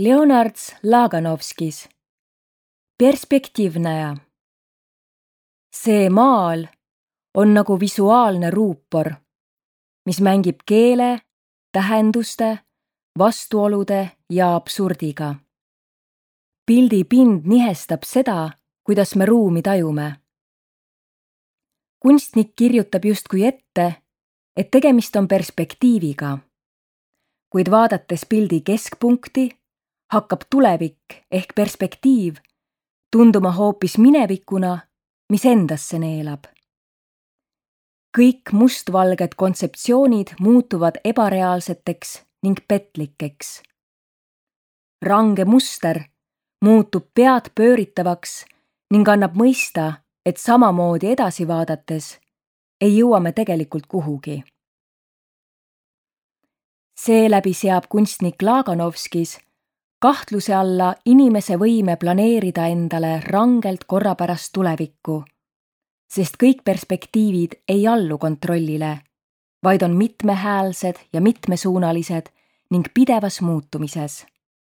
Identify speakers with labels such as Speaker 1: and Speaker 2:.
Speaker 1: Leonard Laganovskis. Perspektiivnäja. See maal on nagu visuaalne ruupor, mis mängib keele, tähenduste, vastuolude ja absurdiga. Pildi pind nihestab seda, kuidas me ruumi tajume. Kunstnik kirjutab justkui ette, et tegemist on perspektiiviga, kuid vaadates pildi keskpunkti, hakkab tulevik ehk perspektiiv tunduma hoopis minevikuna, mis endasse neelab. Kõik mustvalged kontseptsioonid muutuvad ebareaalseteks ning petlikeks. Range muster muutub pead pööritavaks ning annab mõista, et samamoodi edasi vaadates ei jõua me tegelikult kuhugi. Seeläbi seab kunstnik Laganovskis kahtluse alla inimese võime planeerida endale rangelt korrapärast tulevikku, sest kõik perspektiivid ei allu kontrollile, vaid on mitmehäälsed ja mitmesuunalised ning pidevas muutumises.